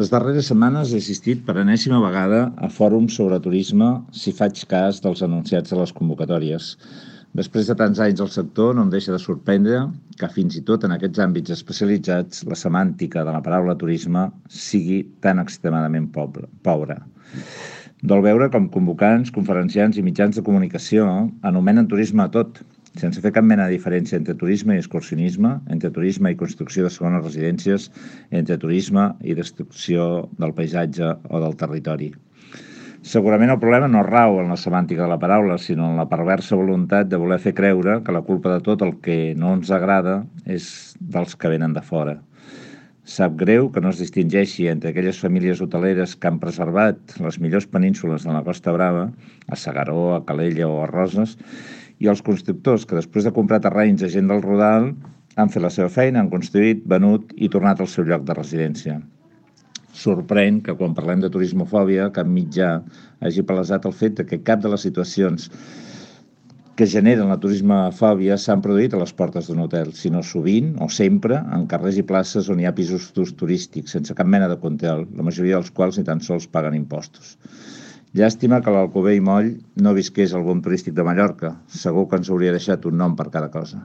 Les darreres setmanes he assistit per enèsima vegada a fòrums sobre turisme si faig cas dels anunciats de les convocatòries. Després de tants anys al sector, no em deixa de sorprendre que fins i tot en aquests àmbits especialitzats la semàntica de la paraula turisme sigui tan extremadament pobra. Dol veure com convocants, conferenciants i mitjans de comunicació anomenen turisme a tot, sense fer cap mena de diferència entre turisme i excursionisme, entre turisme i construcció de segones residències, entre turisme i destrucció del paisatge o del territori. Segurament el problema no rau en la semàntica de la paraula, sinó en la perversa voluntat de voler fer creure que la culpa de tot el que no ens agrada és dels que venen de fora. Sap greu que no es distingeixi entre aquelles famílies hoteleres que han preservat les millors penínsules de la Costa Brava, a S'Agaró, a Calella o a Roses, i els constructors que després de comprar terrenys a gent del Rodal han fet la seva feina, han construït, venut i tornat al seu lloc de residència. Sorprèn que quan parlem de turismofòbia cap mitjà hagi palesat el fet que cap de les situacions que generen la turismofòbia s'han produït a les portes d'un hotel, sinó sovint o sempre en carrers i places on hi ha pisos turístics, sense cap mena de control, la majoria dels quals ni tan sols paguen impostos. Llàstima que l'Alcover i Moll no visqués al bon turístic de Mallorca. Segur que ens hauria deixat un nom per cada cosa.